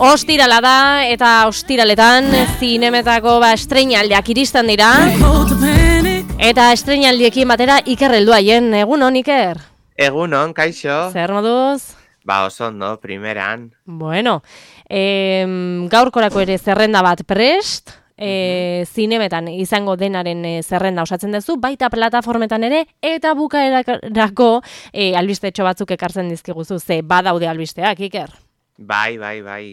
Ostirala da eta ostiraletan zinemetako estreinaldiak iristen dira. Eta estreinaldiekin batera Iker heldu haien. Egunon, Iker? Egunon, kaixo. Zer moduz? Ba, oso ondo, primeran. Bueno, gaurkorako ere zerrenda bat prest. Zinemetan izango denaren zerrenda osatzen duzu, baita plataformetan ere, eta bukaerako albistetxo batzuk ekartzen dizkiguzu, ze badaude albisteak, Iker. Bai,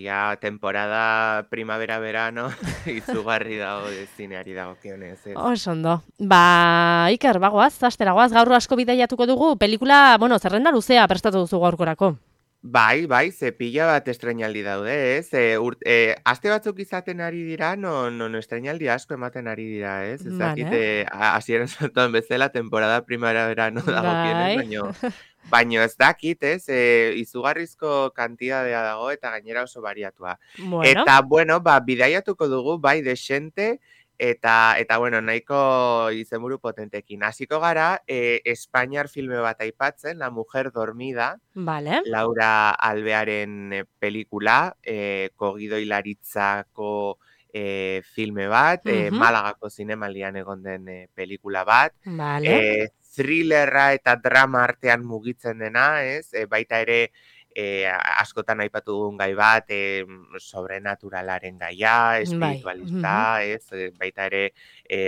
ja, temporada primavera-verano izugarri dago zineari dagokionez. Oso ondo. Ba, Iker, bagoaz, astera goaz, gaur asko bidaiatuko dugu, pelikula, zerrenda luzea prestatu duzu gaurkorako. Bai, ze pila bat estreinaldi daude, ez? Aste batzuk izaten ari dira, non estreinaldi asko ematen ari dira, ez? Ez dakit, hasieran zuten bezala, temporada primavera-verano dagokionez, baino ez dakit, ez? Izugarrizko kantidadea dago eta gainera oso bariatua. Bueno. Eta, bidaiatuko dugu, bai, desente, eta nahiko izenburu potentekin. Hasiko gara, Espainiar filme bat aipatzen, La mujer dormida, vale. Laura Alvearen pelikula, Kogido Hilaritzako filme bat, Malagako zinemaldian egon den pelikula bat, vale. thrillerra eta drama artean mugitzen dena, ez? Baita ere, askotan aipatu dugun gai bat, sobrenaturalaren gaia, espiritualista, ez? Baita ere,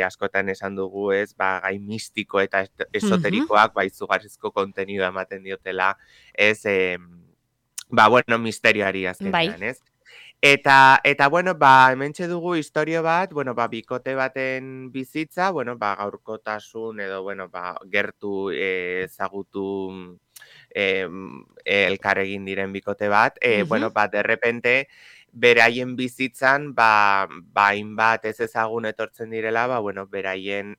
askotan esan dugu, ez? Gai mistiko eta esoterikoak, izugarrizko kontenidua ematen diotela, ez? Misterioari azkenean, ez? Eta hementxe dugu historio bat, bikote baten bizitza, gaurkotasun edo, gertu ezagutu elkarregin diren bikote bat, derrepente, beraien bizitzan, hainbat ez ezagun etortzen direla, beraien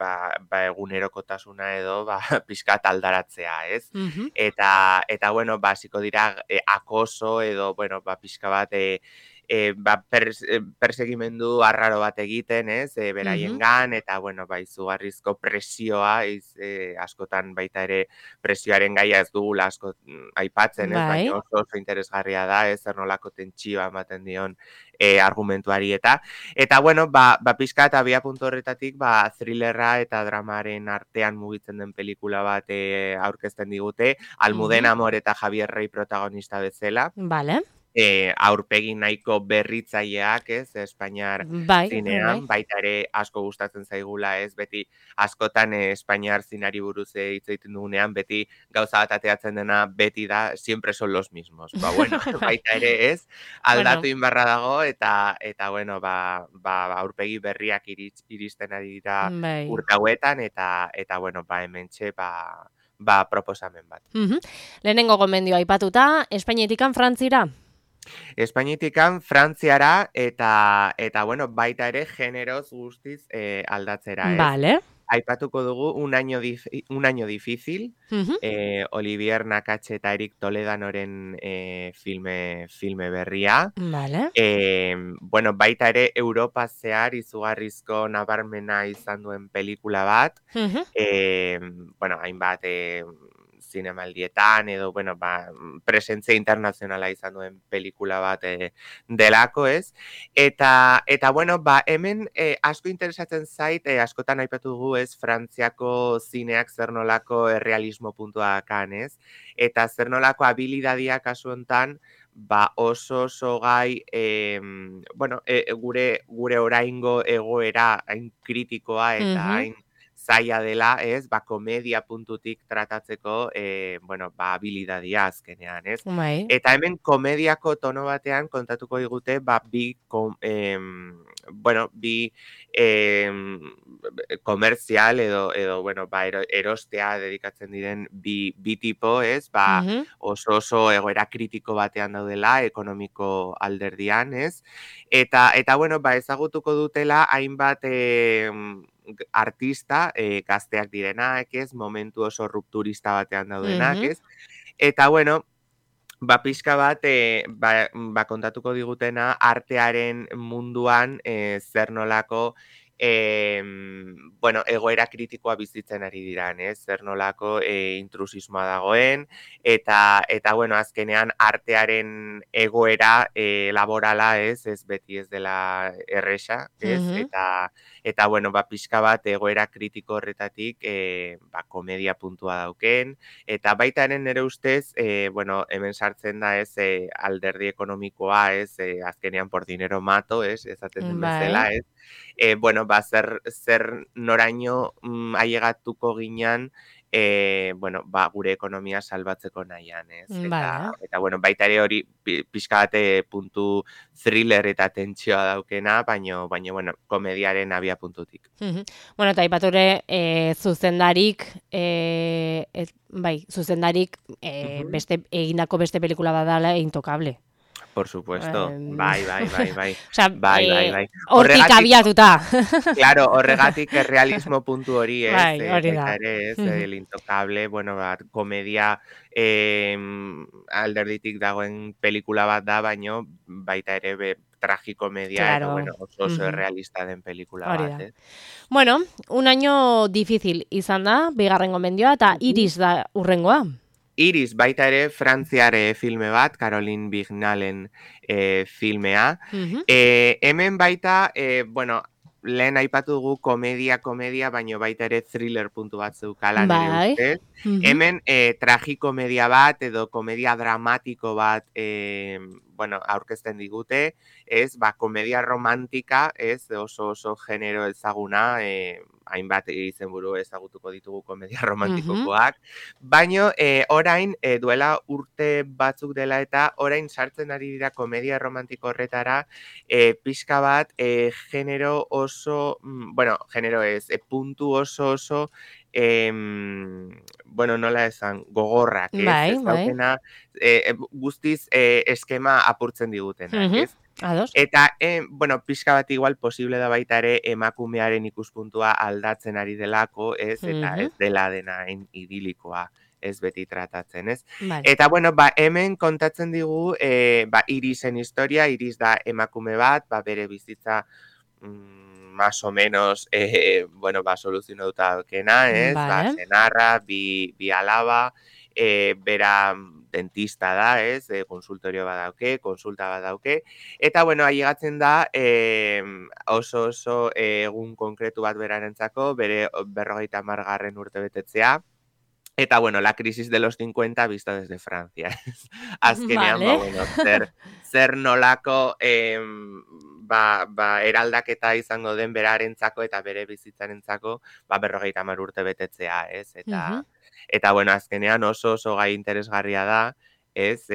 egunerokotasuna edo pixkat aldaratzea, ez? Eta hasiko dira akoso edo, pixka bat persegimendu arraro bat egiten, ez? Beraiengan, eta, izugarrizko presioa, askotan baita ere presioaren gaia ez dugula asko aipatzen, ez? Baina oso interesgarria da, ez? Zer nolako tentsioa ematen dion argumentuari eta pixkat abiapuntu horretatik, thrillerra eta dramaren artean mugitzen den pelikula bat aurkezten digute, Almudena Amor eta Javier Rey protagonista bezala. Vale. Aurpegi nahiko berritzaileak, ez, Espainiar zinean, baita ere asko gustatzen zaigula, ez, beti askotan Espainiar zinari buruz hitz egiten dugunean, beti gauza bat ateatzen dena beti da, siempre son los mismos. Baita ere, ez, aldatu inbarra dago, eta aurpegi berriak iristen ari dira urte hauetan, eta hementxe, proposamen bat. Lehenengo gomendioa aipatuta, Espainetikan Frantzira? Espainetikan Frantziara eta baita ere generoz guztiz aldatzera, ez? Vale. Aipatuko dugu Un año difícil, Olivier Nakache eta Eric Toledanoren filme berria. Vale. Baita ere Europa zehar izugarrizko nabarmena izan duen pelikula bat. Hainbat zinemaldietan edo, presentzia internazionala izan duen pelikula bat delako, ez? Eta hemen asko interesatzen zait, askotan aipatu dugu, ez, Frantziako zineak zer nolako errealismo puntua dakan, ez? Eta zer nolako habilidadiak kasu hontan, oso gai, gure oraingo egoera hain kritikoa eta hain zaila dela, ez, komedia puntutik tratatzeko, habilidadia azkenean, ez? Eta hemen komediako tono batean kontatuko digute, bi komerzial edo erostea dedikatzen diren bi tipo, ez? Oso egoera kritiko batean daudela, ekonomiko alderdian, ez? Eta ezagutuko dutela hainbat artista, gazteak direnak, ez, momentu oso rupturista batean daudenak, ez, eta pixka bat, kontatuko digutena artearen munduan zer nolako bueno, egoera kritikoa bizitzen ari diran, zer nolako intrusismoa dagoen, eta bueno, azkenean artearen egoera laborala, ez beti ez dela erresa, eta bueno, pixka bat egoera kritiko horretatik komedia puntua dauken, eta baitaren nire ustez, bueno, hemen sartzen da alderdi ekonomikoa, azkenean por dinero mato, esaten den bezala, bueno, zer noraino ailegatuko ginean, bueno, gure ekonomia salbatzeko nahian, Eta bueno, baita ere hori pixka bate puntu thriller eta tentsioa daukena, baina bueno, komediaren abia puntutik. Bueno, eta aipature zuzendarik, zuzendarik egindako beste pelikula badala Intocable. Por supuesto, bai. Osea, hortik abiatuta. Claro, horregatik realismo puntu hori, hori da. El Intocable, bueno, komedia alderditik dagoen pelikula bat da, baino baita ere tragikomedia, eta bueno, oso realista den pelikula bat. Bueno, un año difícil izan da, bigarren gomendioa, eta Iris da urrengoa. Iris, baita ere, frantziare filme bat, Caroline Vignalen filmea. Hemen baita, bueno, lehen aipatu dugu komedia, baino baita ere thriller puntu bat zeukala nire ustez. Hemen tragikomedia bat edo komedia dramatiko bat bueno, aurkezten digute, komedia romantika, oso genero ezaguna, hainbat izenburu ezagutuko ditugu komedia romantikokoak, baino orain duela urte batzuk dela eta orain sartzen ari dira komedia romantiko horretara pixka bat genero oso, bueno, genero ez, puntu oso bueno, nola esan, gogorrak, ez daukena, guztiz eskema apurtzen digutenak, ez? Eta, bueno, pixka bat igual posible da baita ere emakumearen ikuspuntua aldatzen ari delako, ez? Eta ez dela dena idilikoa, ez beti tratatzen, ez? Eta, bueno, hemen kontatzen digu Irisen historia, Iris da emakume bat, bere bizitza más o menos, bueno, soluzionatuta daukena, ez? Senarra, bi alaba, bera dentista da, ez? Konsultorio badauke, konsulta badauke. Eta, bueno, ailegatzen da oso egun konkretu bat berarentzako, bere 50. urte betetzea. Eta, bueno, la crisis de los 50 vista desde Francia. Azkenean, bueno, zer nolako eraldaketa izango den berarentzako eta bere bizitzarentzako 50 urte betetzea, ez? Eta, bueno, azkenean oso gai interesgarria da, ez?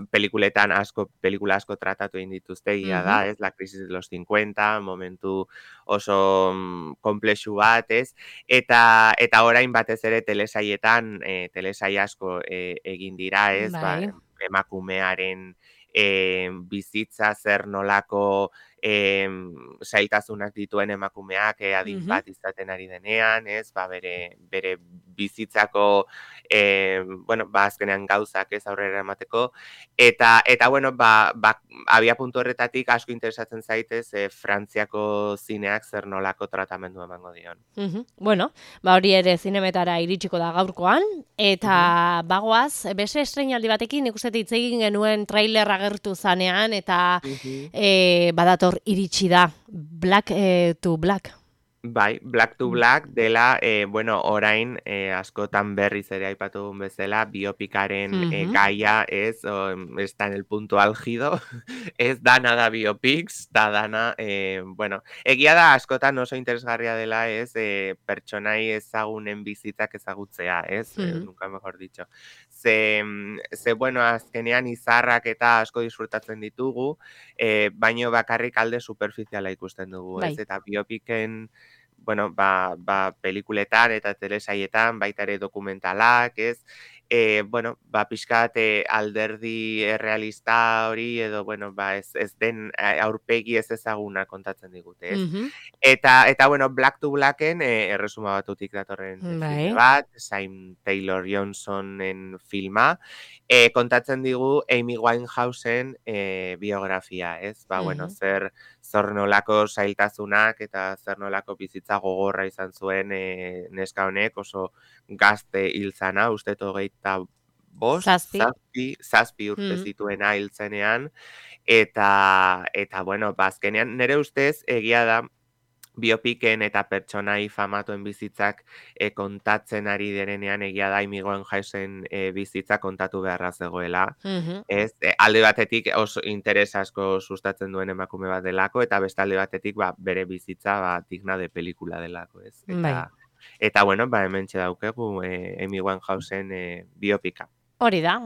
Pelikula asko tratatu egin dituzte, da, ez? La crisis de los 50, momentu oso komplexu bat, ez? Eta orain batez ere telesaietan, telesai asko egin dira, ez? Emakumearen bizitza zer nolako zailtasunak dituen emakumeak adin bat izaten ari denean, ez? Bere bizitzako bueno, azkenean gauzak ez aurrera emateko, eta bueno, abia puntu horretatik asko interesatzen zaitez Frantziako zineak zer nolako tratamendu emango dion. Bueno, hori ere zinemetara iritsiko da gaurkoan, eta bagoaz, beste estreinaldi batekin ikusten hitz egin genuen trailer agertu zanean, eta badator iritsi da Black to Black. Bai, Black to Black dela, bueno, orain askotan berriz ere aipatu dugun bezala, biopikaren gaia está en el punto álgido, ez dana da biopics, da dana, bueno, egia da askotan oso interesgarria dela, pertsonai ezagunen bizitzak ezagutzea, nunca mejor dicho. Ze, bueno, azkenean izarrak eta asko disfrutatzen ditugu, baino bakarrik alde superficiala ikusten dugu, eta biopiken, bueno, pelikuletan eta telesaietan, baita ere dokumentalak, bueno, pixkat alderdi errealista hori, edo, bueno, ez den aurpegi ez ezaguna kontatzen digute, ez? Eta bueno, Black to Blacken erresuma batutik datorren filme bat, Sam Taylor Johnsonen filma, kontatzen digu Amy Winehousen biografia, ez? Bueno, zer nolako zailtasunak eta zer nolako bizitza gogorra izan zuen neska honek, oso gazte hil zana, uste hogeita bost, zazpi urte zituena hil zenean, eta bueno, azkenean nire ustez egia da biopiken eta pertsonai famatuen bizitzak kontatzen ari direnean egia da Amy Winehousen bizitza kontatu beharra zegoela. Ez, alde batetik oso interes asko sustatzen duen emakume bat delako, eta beste alde batetik bere bizitza digna de pelikula delako, ez? Eta bueno, hementxe daukegu Amy Winehousen biopika. Hori da,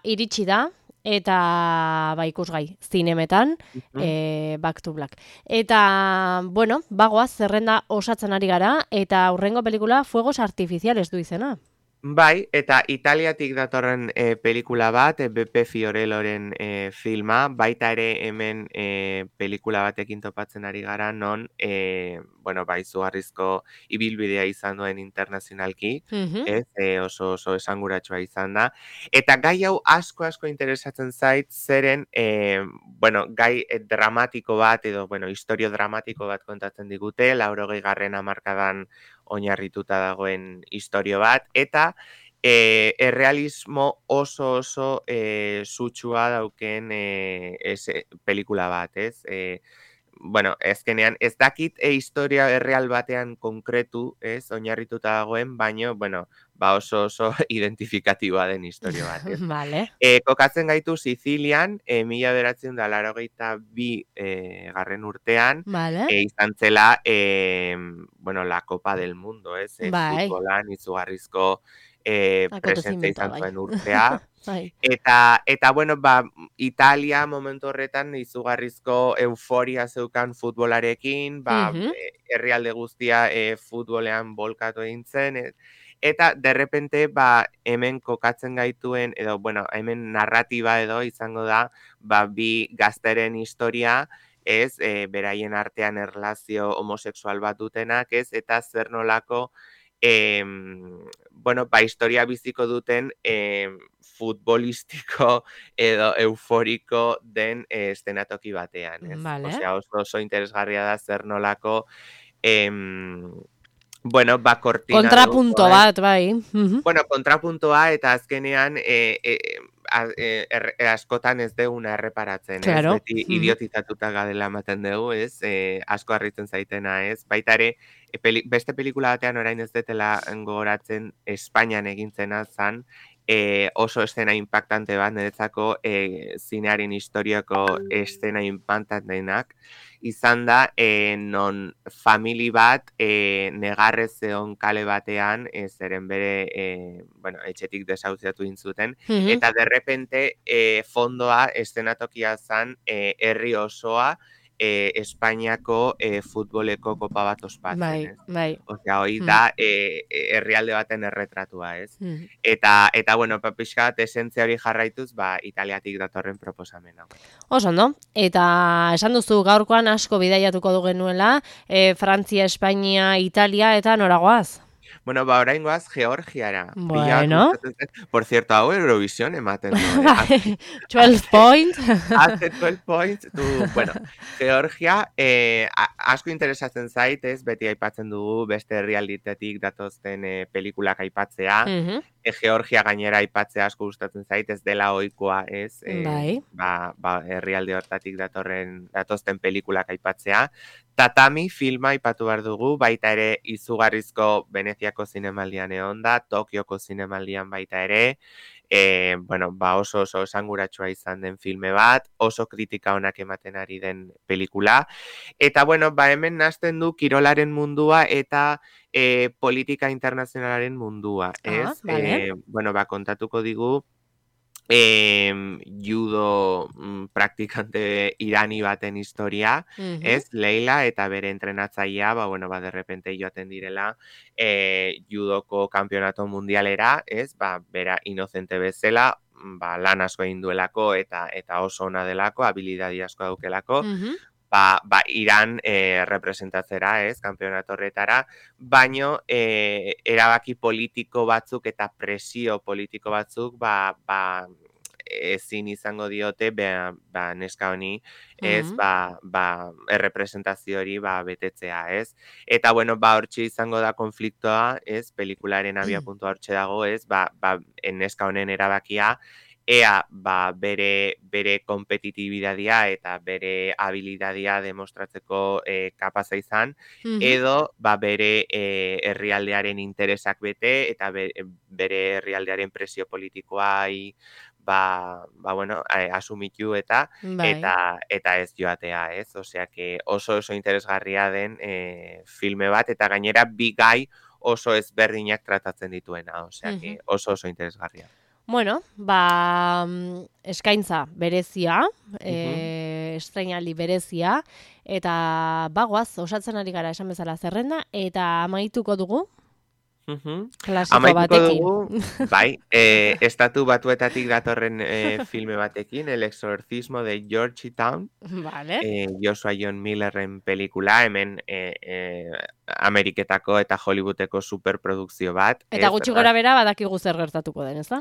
iritsi da, eta ikusgai zinemetan, Back to Black. Eta, bueno, bagoaz, zerrenda osatzen ari gara, eta hurrengo pelikula Fuegos Artificiales du izena. Bai, eta Italiatik datorren pelikula bat, Beppe Fiorelloren filma, baita ere hemen pelikula batekin topatzen ari gara, non, bueno, izugarrizko ibilbidea izan duen internazionalki, oso esanguratsua izan da. Eta gai hau asko interesatzen zait, zeren, bueno, gai dramatiko bat, edo, bueno, historio dramatiko bat kontatzen digute, 80. hamarkadan oinarrituta dagoen historio bat, eta errealismo oso sutsua dauken pelikula bat, ez? Bueno, ezkenean, ez dakit historia erreal batean konkretu, ez, oinarrituta dagoen, baino, bueno, oso identifikatiboa den historia bat, ez? Vale. Kokatzen gaitu Sizilian, 1982 garren urtean, izan zela, bueno, la Copa del Mundo, ez? Futbolan izugarrizko presentzia izan zuen urtea. Eta bueno, Italia momentu horretan izugarrizko euforia zeukan futbolarekin, herrialde guztia futbolean bolkatu egin zen, eta derrepente hemen kokatzen gaituen, edo bueno, hemen narratiba edo izango da, bi gazteren historia, ez, beraien artean erlazio homosexual bat dutenak, ez, eta zer nolako bueno, historia biziko duten futbolistiko edo euforiko den eszenatoki batean, ez? Osea, oso interesgarria da zer nolako bueno, kortina kontrapunto bat, bai. Bueno, kontrapuntoa eta azkenean askotan ez deguna erreparatzen, ez? Beti idiotizatuta gadela ematen dugu, ez? Asko harritzen zaitena, ez? Baita ere, beste pelikula batean orain ez detela gogoratzen Espainian egintzena zan, oso eszena impactante bat, niretzako zinearen historiako eszena impactantenak, izan da, non famili bat negarrez zeon kale batean, zeren bere, bueno, etxetik desauziatu intzuten, eta derrepente fondoa eszenatokia zan herri osoa Espainiako futboleko kopa bat ospatzen, ez? Bai. Osea, hori da herrialde baten erretratua, ez? Eta bueno, pixkat esentzia hori jarraituz, Italiatik datorren proposamena. Oso, no? Eta esan duzu gaurkoan asko bidaiatuko du genuela, Frantzia, Espainia, Italia, eta noragoaz? Bueno, orain goaz Georgiara. Bueno. Por cierto, hau Eurovision ematen du. 12 points. Hace 12 points. Bueno, Georgia, asko interesatzen zait, ez, beti aipatzen dugu beste herrialditetik datozten pelikulak aipatzea. Georgia gainera aipatzea asko gustatzen zait, ez dela ohikoa, ez? Herrialde hortatik datozten pelikulak aipatzea. Tatami filma aipatu behar dugu, baita ere izugarrizko Veneziako zinemaldian egon da, Tokioko zinemaldian baita ere, bueno, oso esanguratsua izan den filme bat, oso kritika onak ematen ari den pelikula, eta bueno, hemen nazten du kirolaren mundua eta politika internazionalaren mundua, ez? Vale. Bueno, kontatuko digu, judo praktikante irani baten historia, ez, Leila eta bere entrenatzailea, de repente joaten direla judoko kanpionato mundialera, ez, bera inocente bezala, lan asko egin duelako eta oso ona delako, habilidadi asko daukelako, Iran representatzera, ez, kanpionato horretara, baino erabaki politiko batzuk eta presio politiko batzuk ezin izango diote neska honi, ez, errepresentazio hori betetzea, ez. Eta hortxe izango da konfliktoa, ez, pelikularen abiapuntua hortxe dago, ez, neska honen erabakia, ea bere kompetitibidadia eta bere habilidadia demostratzeko kapaza izan, edo bere herrialdearen interesak bete eta bere herrialdearen presio politikoai asumitu eta ez joatea, ez? Osea, oso interesgarria den filme bat, eta gainera bi gai oso ezberdinak tratatzen dituena, osea, oso interesgarria. Bueno, eskaintza berezia, estreinaldi berezia, eta bagoaz, osatzen ari gara esan bezala zerrenda, eta amaituko dugu, klasiko batekin. Dugu, estatu batuetatik datorren filme batekin, El exorcismo de Georgetown, Joshua John Millerren pelikula, hemen Ameriketako eta Hollywoodeko superprodukzio bat. Eta gutxi gora bera badakigu zer gertatuko den, ez da?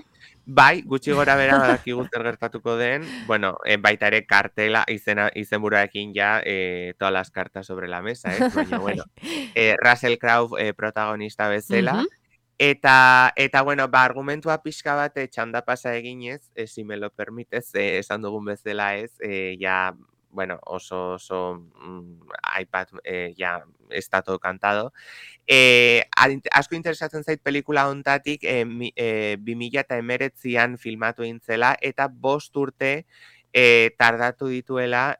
Gutxi gora bera badakigu zer gertatuko den, baita ere kartela izenburuarekin ja todas las cartas sobre la mesa, ez? Baina, Russell Crowe protagonista bezala, eta argumentua pixka bat txanda pasa eginez, si me lo permites, esan dugun bezala ez, oso iPad ya está todo cantado. Asko interesatzen zait pelikula hontatik 2019an filmatu egin zela eta 5 urte tardatu dituela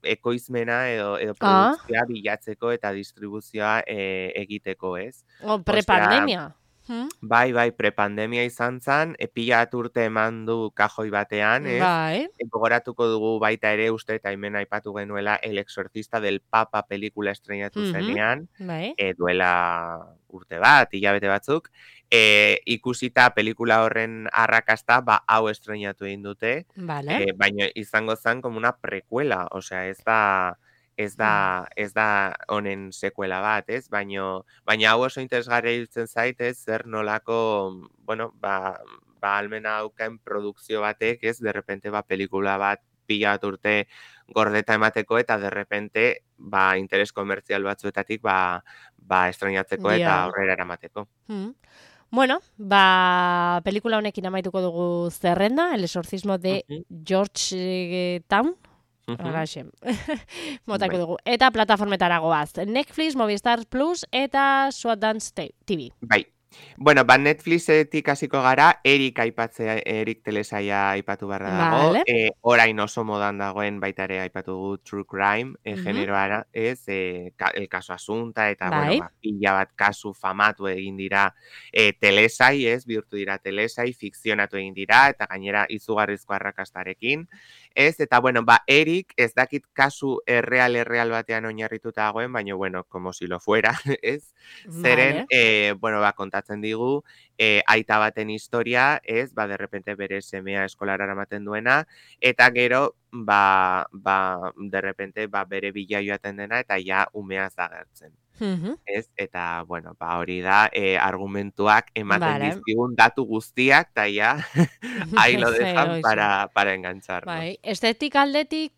ekoizmena edo produkzioa bilatzeko eta distribuzioa egiteko, ez? Prepandemia. Bai, prepandemia izan zen, pila urte eman du kajoi batean, ez? Gogoratuko dugu baita ere uste eta hemen aipatu genuela El exorcista del Papa pelikula estreinatu zenean, duela urte bat, hilabete batzuk, ikusita pelikula horren arrakasta, hau estreinatu egin dute, baina izango zen como una precuela, osea, ez da honen sekuela bat, ez? Baina hau oso interesgarria iruditzen zait, ez? Zer nolako, almena daukaen produkzio batek, ez? De repente, pelikula bat pila bat urte gordeta emateko eta de repente, interes komertzial batzuetatik, estreinatzeko eta aurrera eramateko. Bueno, pelikula honekin amaituko dugu zerrenda, El exorcismo de Georgetown, motako dugu. Eta plataformetara goaz. Netflix, Movistar Plus eta Sundance TV. Netflixetik hasiko gara, Erik telesaia aipatu barra dago. Orain oso modan dagoen baita ere aipatu dugu True Crime generoara, ez? El caso Asunta eta pila bat kasu famatu egin dira telesai, ez? Bihurtu dira telesai, fikzionatu egin dira eta gainera izugarrizko arrakastarekin. Ez, eta Erik ez dakit kasu erreal batean oinarrituta dagoen, baina como si lo fuera, ez? Zeren, kontatzen digu, aita baten historia, ez, de repente bere semea eskolara eramaten duena, eta gero, de repente, bere bila joaten dena, eta ja umeaz agertzen. Ez, eta, hori da, argumentuak ematen dizkigun datu guztiak, eta ja, ahí lo dejan para engancharnos. Estetik aldetik,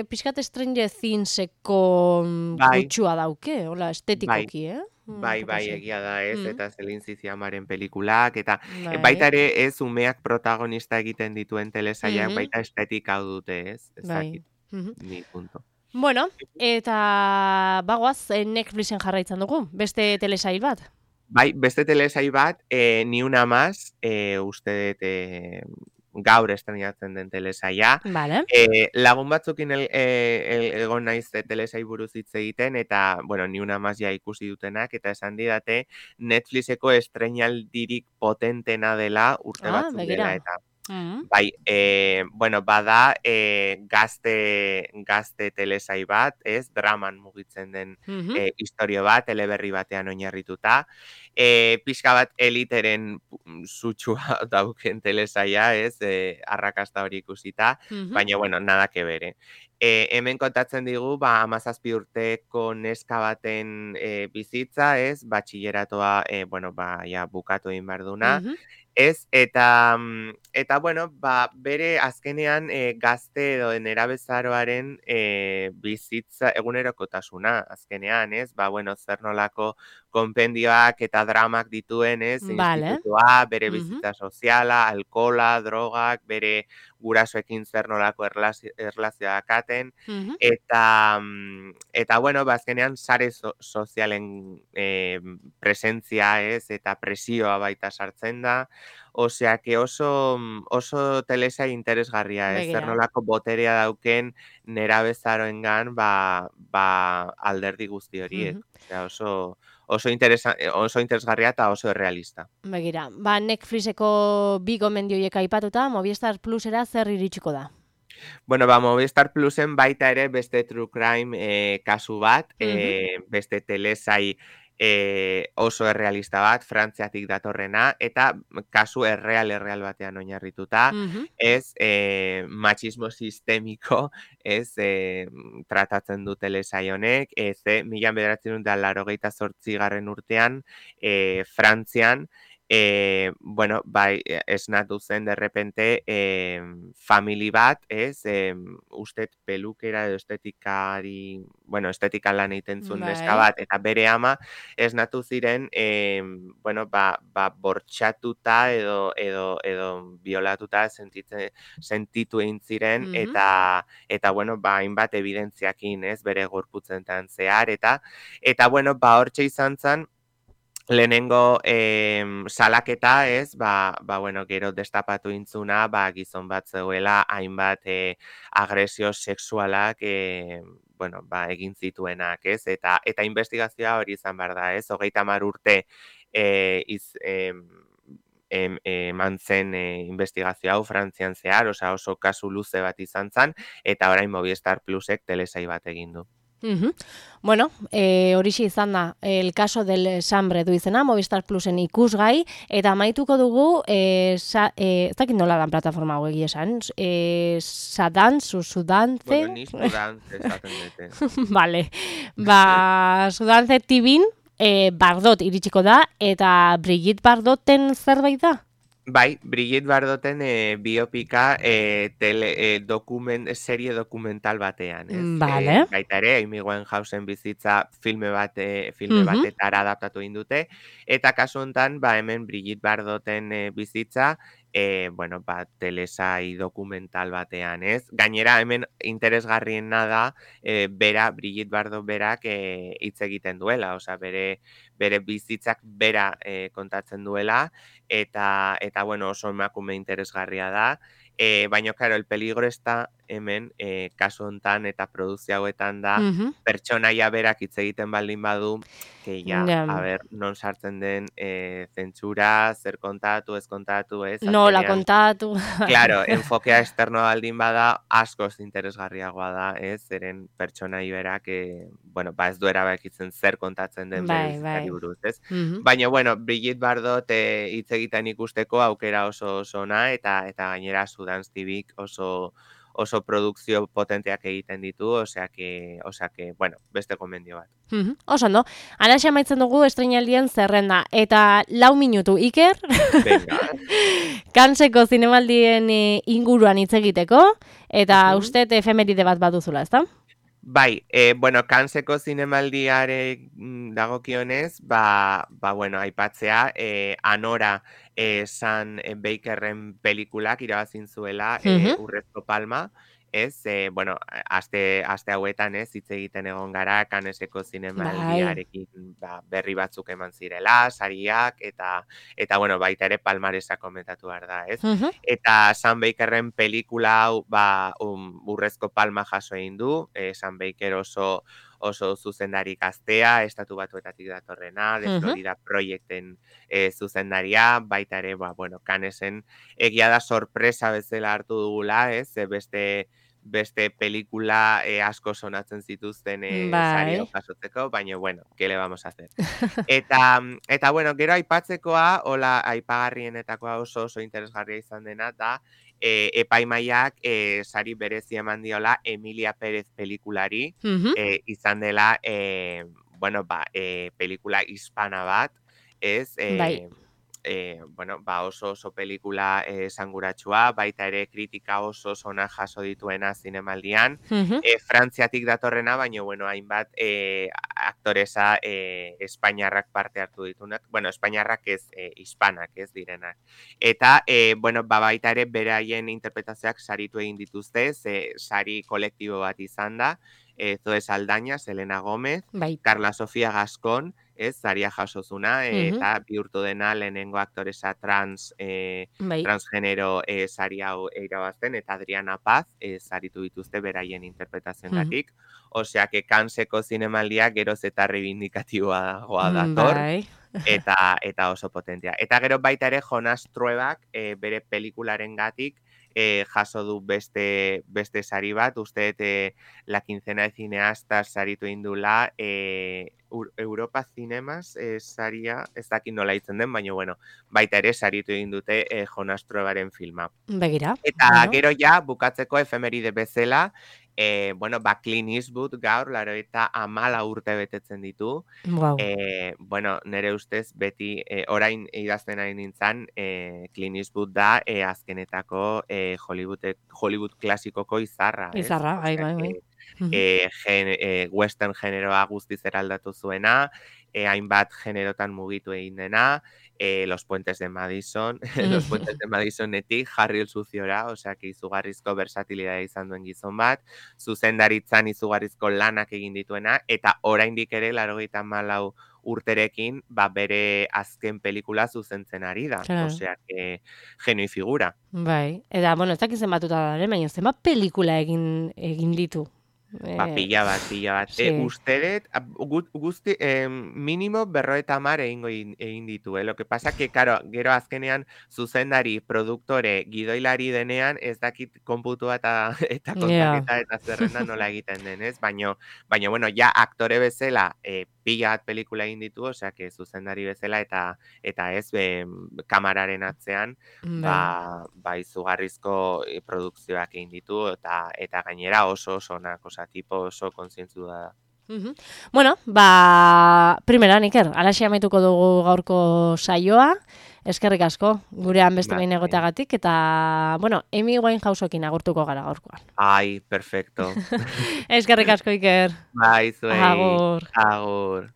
pixkat Stranger Thingseko gutxua dauke, hola, estetikoki, egia da, ez, eta Celine Sciamaren pelikulak, eta baita ere ez umeak protagonista egiten dituen telesaiak, baita estetika hau dute, ez, ezakit, ni punto. Bueno, eta bagoaz Netflixen jarraitzen dugu, beste telesail bat? Beste telesail bat, Ni una más, uste dut gaur estrenatzen den telesaia. Vale. Lagun batzukin egon naiz telesai buruz hitz egiten, eta, bueno, ni una más ja ikusi dutenak, eta esan didate Netflixeko estreinaldirik potentena dela urte batzuk begira. dela, eta bai, bueno, bada gazte telesai bat, ez, draman mugitzen den historio bat, eleberri batean oinarrituta, pixka bat eliteren sutsua dauken telesaia, ez, arrakasta hori ikusita, baina, bueno, nada que bere. Hemen kontatzen digu, 17 urteko neska baten bizitza, ez, batxilleratoa, bueno, ja bukatu egin behar duna, ez, eta, bueno, bere azkenean gazte edo nerabezaroaren bizitza egunerokotasuna, azkenean, ez, bueno, zer nolako konpendioak eta dramak dituen, ez, institutua, bere bizitza soziala, alkola, drogak, bere gurasoekin zer nolako erlazioa dakaten, eta, bueno, azkenean sare sozialen presentzia, ez, eta presioa baita sartzen da, osea, que oso telesai interesgarria, ez, zer nolako boterea dauken nerabezaroengan, alderdi guzti horiek, osea, oso interesgarria eta oso realista. Begira, Netflixeko bi gomendioiek aipatuta, Movistar Plusera zer iritsiko da? Bueno, Movistar Plusen baita ere beste True Crime kasu bat, beste telesai oso errealista bat, Frantziatik datorrena, eta kasu erreal batean oinarrituta, ez, machismo sistemiko, ez, tratatzen du telesai honek, ez, 1988 urtean, Frantzian, bueno, bai, esnatu zen derrepente famili bat, ez, ustet pelukera edo estetikari, bueno, estetika lan egiten zuen neska bat, eta bere ama esnatu ziren, bueno, bortxatuta edo violatuta sentitu egin ziren, eta, bueno, hainbat evidentziakin, ez, bere gorputzentan zehar, eta, bueno, hortxe izan zen, lehenengo salaketa, ez, bueno, gero destapatu intzuna, gizon bat zegoela, hainbat agresio sexualak, bueno, egin zituenak, ez, eta investigazioa hori izan behar da, ez, 30 urte eman zen investigazio hau Frantzian zehar, oso kasu luze bat izan zen, eta orain Movistar Plusek telesai bat egin du. Bueno, horixe izan da, el caso del Sambre du izena, Movistar Plusen ikusgai, eta amaituko dugu, ez dakit nola dan plataforma hau egia esan, Sudantze... Bueno, ni Sudantze esaten dute. Vale, Sudantze TVn, Bardot iritsiko da, eta Brigitte Bardoten zerbait da? Bai, Brigitte Bardoten biopika serie dokumental batean, ez? Vale. Baita ere, Amy Winehousen bizitza filme batetara adaptatu egin dute, eta kasu honetan, hemen Brigitte Bardoten bizitza, bueno, telesai dokumental batean, ez? Gainera, hemen interesgarriena da, Brigitte Bardot berak hitz egiten duela, osea, bere bizitzak bera kontatzen duela, eta bueno, oso emakume interesgarria da, baina, claro, el peligro está hemen, kasu hontan eta produzio hauetan da, pertsonaia berak hitz egiten baldin badu, que ja, a ver, non sartzen den zentsura, zer kontatu, ez kontatu, ez? Nola kontatu. Claro, enfokea externoa baldin bada, askoz interesgarriagoa da, ez? Zeren pertsonai berak, bueno, ez du erabakitzen zer kontatzen den berizitari buruz, ez? Baina, bueno, Brigitte Bardot hitz egiten ikusteko aukera oso ona, eta gainera Sudantz TVk oso produkzio potenteak egiten ditu, osea que, bueno, beste gomendio bat. Oso ondo, alaxe amaitzen dugu estreinaldien zerrenda, eta 4 minutu, Iker? Venga. Kanseko zinemaldien inguruan hitz egiteko, eta uste efemeride bat baduzula, ezta? Bai, bueno, Kanseko zinemaldiare dagokionez, bueno, aipatzea, Anora San Bakerren pelikulak irabazin zuela Urrezko Palma, ez, bueno, aste hauetan, ez, hitz egiten egon gara, Canneseko zinemaldiarekin berri batzuk eman zirela, sariak, eta bueno, baita ere palmaresa komentatu behar da, ez? Eta Sam Bakerren pelikula hau, urrezko palma jaso egin du, Sam Baker oso zuzendari gaztea, Estatu Batuetatik datorrena, de Florida Projecten zuzendaria, baita ere, bueno, Cannesen egia da sorpresa bezala hartu dugula, ez? Beste pelikula asko sonatzen zituzten sari hau jasotzeko, baina, bueno, ¿qué le vamos a hacer? Eta bueno, gero aipatzekoa, hola, aipagarrienetakoa oso interesgarria izan dena, da, epaimaiak sari berezi eman diola Emilia Pérez pelikulari, izan dela, bueno, pelikula hispana bat, ez? Bueno, oso pelikula esanguratsua, baita ere kritika oso ona jaso dituena zinemaldian, Frantziatik datorrena, baina, bueno, hainbat aktoresa espainiarrak parte hartu ditunak, bueno, espainiarrak ez, hispanak ez direnak. Eta, bueno, baita ere beraien interpretazioak saritu egin dituzte, sari kolektibo bat izan da, Zoe Saldaña, Selena Gómez, Carla Sofía Gascón, ez, saria jasozuna, eta bihurtu dena lehenengo aktoresa transgenero sari hau irabazten, eta Adriana Paz saritu dituzte beraien interpretazioengatik. Osea, que Canneseko zinemaldia geroz eta reivindikatiboa dator, eta oso potentea. Eta gero baita ere Jonas Truebak bere pelikularengatik jaso du beste sari bat, uste la quincena de cineastas saritu indula, Europa Cinemas saria, ez dakit nola itzen den, baina, bueno, baita ere saritu egin dute Jonas Truebaren filma. Begira. Eta gero ja, bukatzeko efemeride bezala, bueno, Clint Eastwood gaur, 94 urte betetzen ditu. Wow. Bueno, nire ustez, beti, orain idazten ari nintzen, Clint Eastwood da azkenetako Hollywood klasikoko izarra. Izarra, bai. Western generoa guztiz eraldatu zuena, hainbat generotan mugitu egin dena, Los Puentes de Madison, Los Puentes de Madisonetik, Harry el Suciora, osea, izugarrizko versatilidad izan duen gizon bat, zuzendaritzan izugarrizko lanak egin dituena, eta oraindik ere, 94 urterekin, bere azken pelikula zuzentzen ari da. Osea, genio figura. Bai, eta, bueno, ez dakit zenbatuta da, baina zenbat pelikula egin ditu. Pila bat. Usteret, guzti, minimo 50 egin ditu. Lo que pasa que, claro, gero azkenean zuzendari, produktore, gidoilari denean, ez dakit konputua eta kontaketa eta zerrenda nola egiten denez, baina, bueno, ja aktore bezala pila bat pelikula egin ditu, osea, que zuzendari bezala eta ez kamararen atzean, izugarrizko produkzioak egin ditu, eta gainera oso onak, tipo oso kontzientzu da. Bueno, primeran, Iker, alaxi amaituko dugu gaurko saioa, eskerrik asko, gurean beste behin egoteagatik, eta, bueno, Amy Winehouseekin agurtuko gara gaurkoan. Ai, perfecto. Eskerrik asko, Iker. Bai, zuei. Agur. Agur.